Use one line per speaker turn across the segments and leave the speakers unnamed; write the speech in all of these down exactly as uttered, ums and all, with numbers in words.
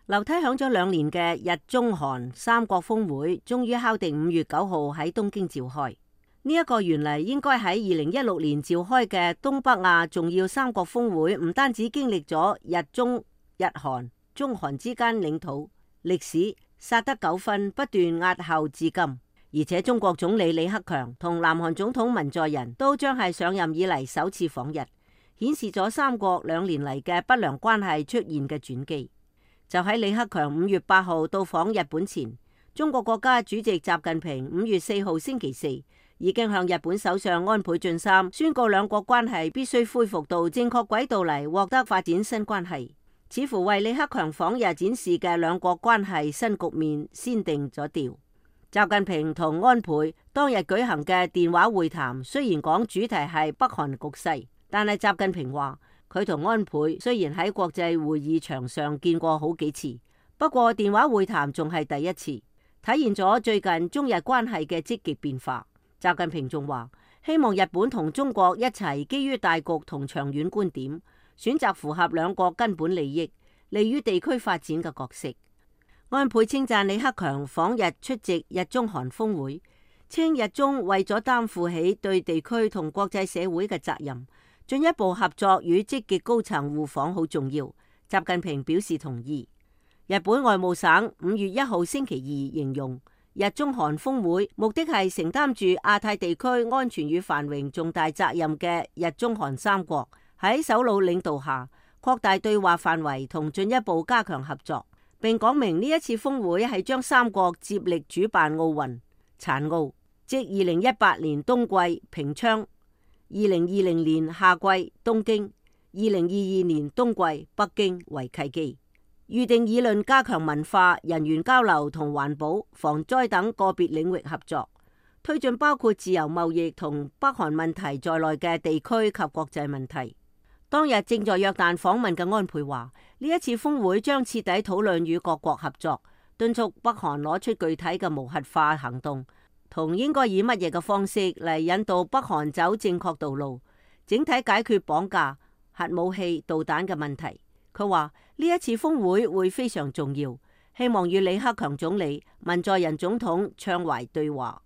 樓梯響咗兩年嘅日中韓三國峰會，終於敲定五月九號喺東京召開。呢、這、一個原嚟應該喺二零一六年召開嘅東北亞重要三國峰會，唔單止經歷咗日中、日韓、中韓之間領土歷史薩德糾紛不斷押後至今，而且中國總理李克強同南韓總統文在寅都將係上任以嚟首次訪日，顯示咗三國兩年嚟嘅不良關係出現嘅轉機。就喺李克強五月八號到訪日本前，中國國家主席習近平五月四號星期四已經向日本首相安倍晉三宣告兩國關係必須恢復到正確軌道嚟獲得發展新關係，似乎為李克強訪日展示嘅兩國關係新局面先定咗調。習近平同安倍當日舉行嘅電話會談，雖然講主題係北韓局勢，但係習近平話佢同安倍雖然喺國際會議場上見過好幾次，不過電話會談仲係第一次，體現咗最近中日關係嘅積極變化。習近平仲話希望日本同中國一齊基於大局同長遠觀點，選擇符合兩國根本利益、利於地區發展嘅角色。安倍稱讚李克強訪日出席日中韓峰會，稱日中為咗擔負起對地區同國際社會嘅責任，進一步合作與積極高層互訪好重要。習近平表示同意。日本外務省五月一號星期二形容日中韓峰會目的係承擔住亞太地區安全與繁榮重大責任嘅日中韓三國喺首腦領導下擴大對話範圍同進一步加強合作，並講明呢一次峰會係將三國接力主辦奧運殘奧，即二零一八年冬季平昌、二零二零年夏季東京、二零二二年冬季北京為契機，預定議論加強文化、人員交流同環保、防災等個別領域合作，推進包括自由貿易同北韓問題在內嘅地區及國際問題。當日正在約旦訪問嘅安倍話，呢一次峰會將徹底討論與各國合作，敦促北韓攞出具體嘅無核化行動，同應該以乜嘢嘅方式嚟引導北韓走正確道路，整體解決綁架、核武器、導彈嘅問題。佢話呢一次峰會會非常重要，希望與李克強總理、文在寅總統暢懷對話。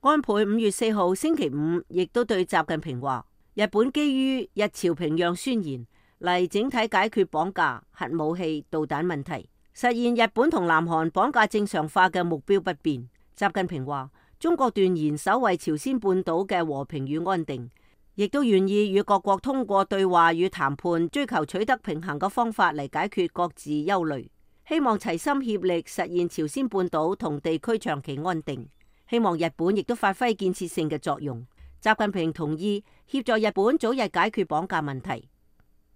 安倍五月四號星期五亦都對習近平話，日本基於日朝平壤宣言嚟整體解決綁架、核武器、導彈問題，實現日本同南韓綁架正常化嘅目標不變。習近平話，中國斷然守衛朝鮮半島嘅和平與安定，亦都願意與各國通過對話與談判，追求取得平衡嘅方法嚟解決各自憂慮，希望齊心協力實現朝鮮半島同地區長期安定。希望日本亦都發揮建設性嘅作用。習近平同意協助日本早日解決綁架問題。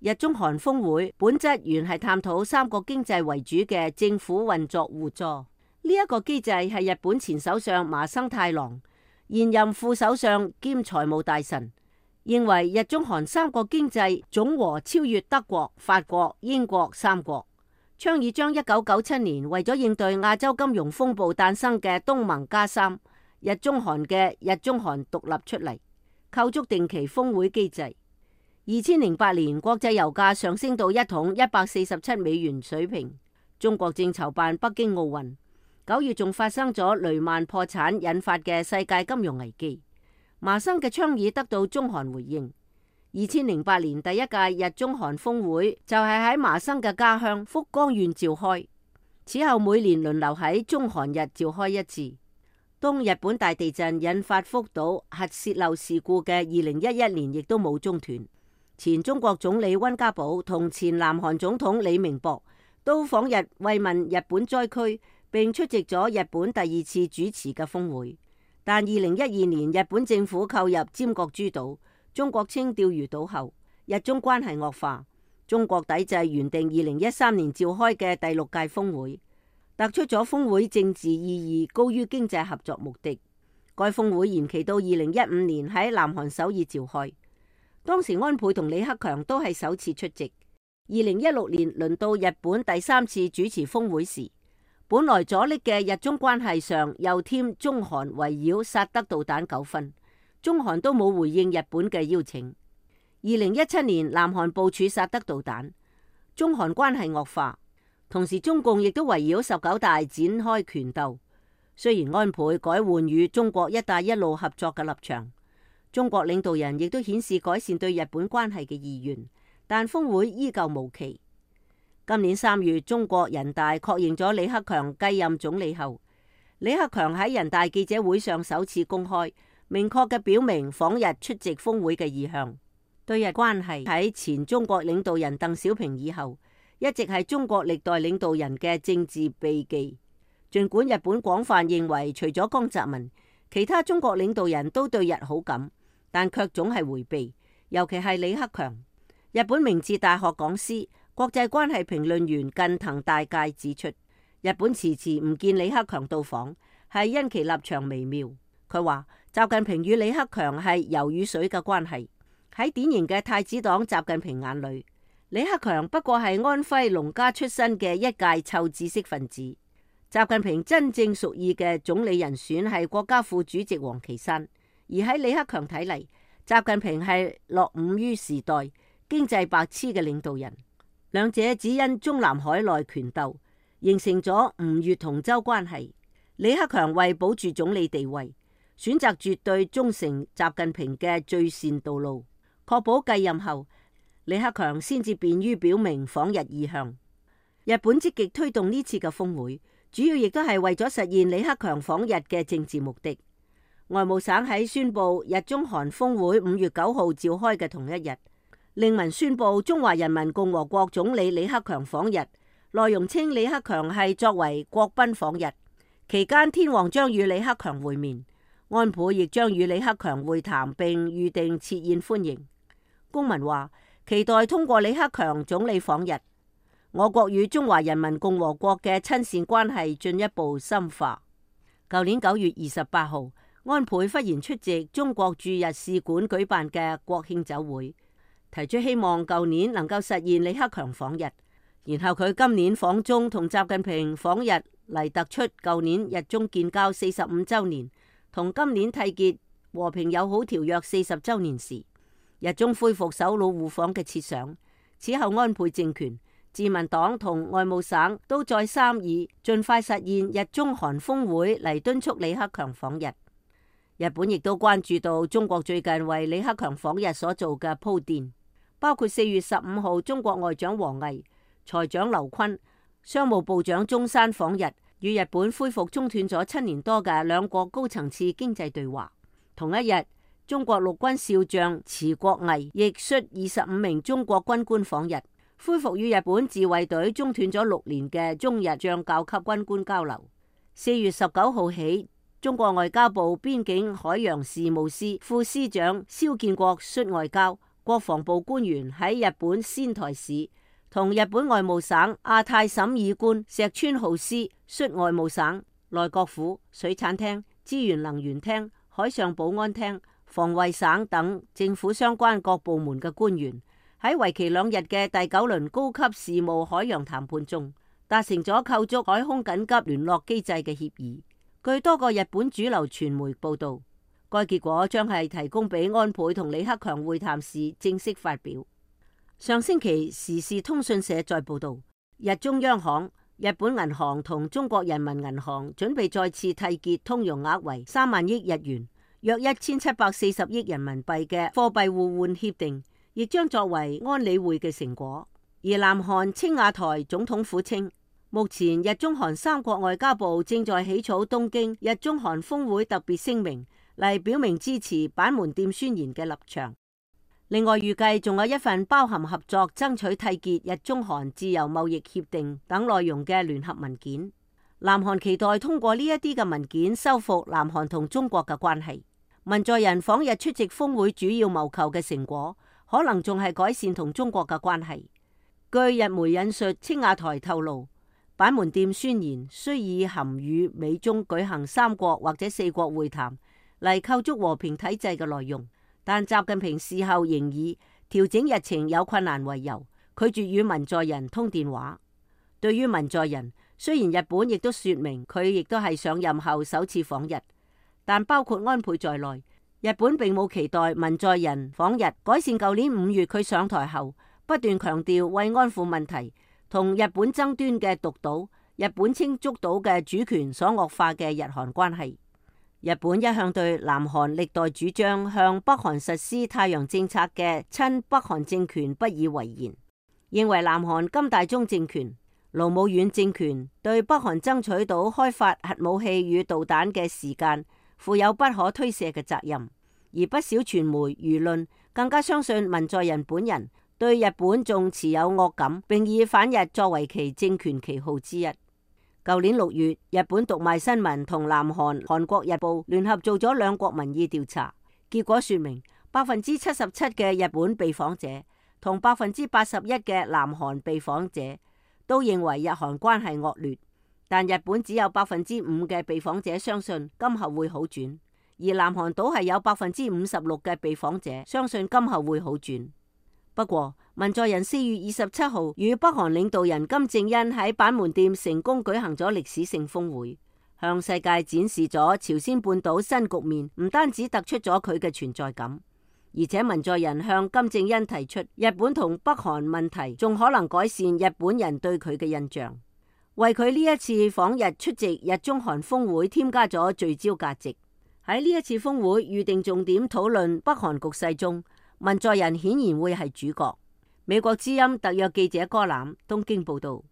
日中韓峰會本質原係探討三國經濟為主嘅政府運作互助，呢、這、一個機制係日本前首相麻生太郎、現任副首相兼財務大臣認為日中韓三國經濟總和超越德國、法國、英國三國，倡議將一九九七年為咗應對亞洲金融風暴誕生嘅東盟加三日中韓嘅日中韓獨立出嚟，構築定期峰會機制。二千零八年國際油價上升到一桶一百四十七美元水平，中國正籌辦北京奧運，九月仲發生咗雷曼破產引發嘅世界金融危機。麻生嘅倡議得到中韓回應。二千零八年第一屆日中韓峰會就係喺麻生嘅家鄉福岡縣召開，此後每年輪流喺中韓日召開一次。當日本大地震引發福島核泄漏事故嘅二零一一年亦都冇中斷。前中國總理溫家寶同前南韓總統李明博都訪日慰問日本災區，並出席咗日本第二次主持嘅峰會。但二零一二年日本政府購入尖閣諸島、中國稱釣魚島後，日中關係惡化，中國抵制原定二零一三年召開嘅第六屆峰會，突出咗峰會政治意義高於經濟合作目的。該峰會延期到二零一五年喺南韓首爾召開，當時安倍同李克強都係首次出席。二零一六年輪到日本第三次主持峰會時，本來阻力嘅日中關係上又添中韓圍繞薩德導彈糾紛，中韓都冇回應日本嘅邀請。二零一七年南韓部署薩德導彈，中韓關係惡化。同時中共亦都圍繞十九大展開權鬥。雖然安倍改換與中國一帶一路合作嘅立場，中國領導人亦都顯示改善對日本關係嘅意願，但峰會依舊無期。今年三月，中國人大確認咗李克強繼任總理後，李克強喺人大記者會上首次公開明確嘅表明訪日出席峰會嘅意向。對日關係喺前中國領導人鄧小平以後，一直係中國歷代領導人嘅政治避忌。儘管日本廣泛認為除咗江澤民，其他中國領導人都對日好感，但卻總係迴避，尤其係李克強。日本明治大學講師、國際關係評論員近藤大介指出，日本遲遲唔見李克強到訪，係因其立場微妙。佢話習近平與李克強係油與水嘅關係。喺典型嘅太子黨習近平眼裏，李克強不過係安徽農家出身嘅一介臭知識分子。習近平真正屬意嘅總理人選係國家副主席王岐山，而喺李克強睇嚟，習近平係落伍於時代、經濟白痴嘅領導人。兩者只因中南海內權鬥，形成咗吳越同舟關係。李克強為保住總理地位，選擇絕對忠誠習近平嘅最善道路，確保繼任後李克強先至便於表明訪日意向。日本積極推動呢次嘅峰會，主要亦都係為咗實現李克強訪日嘅政治目的。外務省喺宣布日中韓峰會五月九號召開嘅同一日，令文宣布中華人民共和國總理李克強訪日，內容稱李克強係作為國賓訪日，期間天皇將與李克強會面，安倍亦將與李克強會談並預定設宴歡迎。公文話期待通過李克強總理訪日，我國與中華人民共和國嘅親善關係進一步深化。舊年九月二十八號，安倍忽然出席中國駐日使館舉辦嘅國慶酒會，提出希望舊年能夠實現李克強訪日。然後佢今年訪中同習近平訪日嚟，突出舊年日中建交四十五週年同今年締結和平友好條約四十週年時，日中恢復首腦互訪嘅設想。此後安倍政權、自民黨同外務省都再三以盡快實現日中韓峰會嚟敦促李克強訪日。日本亦都關注到中國最近為李克強訪日所做嘅鋪墊，包括四月十五號中國外長王毅、財長劉昆、商務部長中山訪日，與日本恢復中斷咗七年多嘅兩國高層次經濟對話。同一日，中國陸軍少將池國毅亦率二十五名中國軍官訪日，恢復與日本自衛隊中斷咗六年嘅中日將校級軍官交流。四月十九號起，中國外交部邊境海洋事務司副司長蕭建國率外交、國防部官員喺日本仙台市，同日本外務省亞太審議官石川浩司率外務省、內閣府、水產廳、資源能源廳、海上保安廳、防衛省等政府相關各部門嘅官員，喺為期兩日嘅第九輪高級事務海洋談判中，達成咗構築海空緊急聯絡機制嘅協議。據多個日本主流傳媒報道，該結果將係提供俾安倍同李克強會談時正式發表。上星期時事通訊社再報道，日中央行、日本銀行同中國人民銀行準備再次締結通融額為三萬億日元，約一千七百四十億人民幣嘅貨幣互換協定，亦將作為安理會嘅成果。而南韓青瓦台總統府稱，目前日中韓三國外交部正在起草東京日中韓峰會特別聲明，嚟表明支持板門店宣言嘅立場。另外預計仲有一份包含合作爭取締結日中韓自由貿易協定等內容嘅聯合文件。南韓期待通過呢一啲嘅文件修復南韓同中國嘅關係。文在寅訪日出席峰會主要謀求嘅成果，可能仲係改善同中國嘅關係。據日媒引述青瓦台透露，板門店宣言雖以含與美中舉行三國或者四國會談嚟構築和平體制嘅內容，但習近平事後仍以調整日程有困難為由，拒絕與文在寅通電話。對於文在寅，雖然日本亦都說明佢亦都係上任後首次訪日，但包括安倍在內，日本並冇期待文在寅訪日改善舊年五月佢上台後不斷強調慰安婦問題同日本爭端嘅獨島、日本稱竹島嘅主權所惡化嘅日韓關係。日本一向對南韓歷代主張向北韓實施太陽政策嘅親北韓政權不以為然，認為南韓金大中政權、盧武鉉政權對北韓爭取到開發核武器與導彈嘅時間負有不可推卸嘅責任。而不少傳媒輿論更加相信文在寅本人對日本仲持有惡感，並以反日作為其政權旗號之一。舊年六月，日本讀賣新聞同南韓韓國日報聯合做咗兩國民意調查，結果說明百分之七十七嘅日本被訪者同百分之八十一嘅南韓被訪者都認為日韓關係惡劣，但日本只有百分之五嘅被訪者相信今後會好轉，而南韓倒係有百分之五十六嘅被訪者相信今後會好轉。不過，文在寅四月二十七號與北韓領導人金正恩喺板門店成功舉行咗歷史性峰會，向世界展示咗朝鮮半島新局面，唔單止突出咗佢嘅存在感，而且文在寅向金正恩提出日本同北韓問題仲可能改善日本人對佢嘅印象，為佢呢一次訪日出席日中韓峰會添加咗聚焦價值。喺呢一次峰會預定重點討論北韓局勢中，文在寅顯然會係主角。美國之音特約記者柯南東京報道。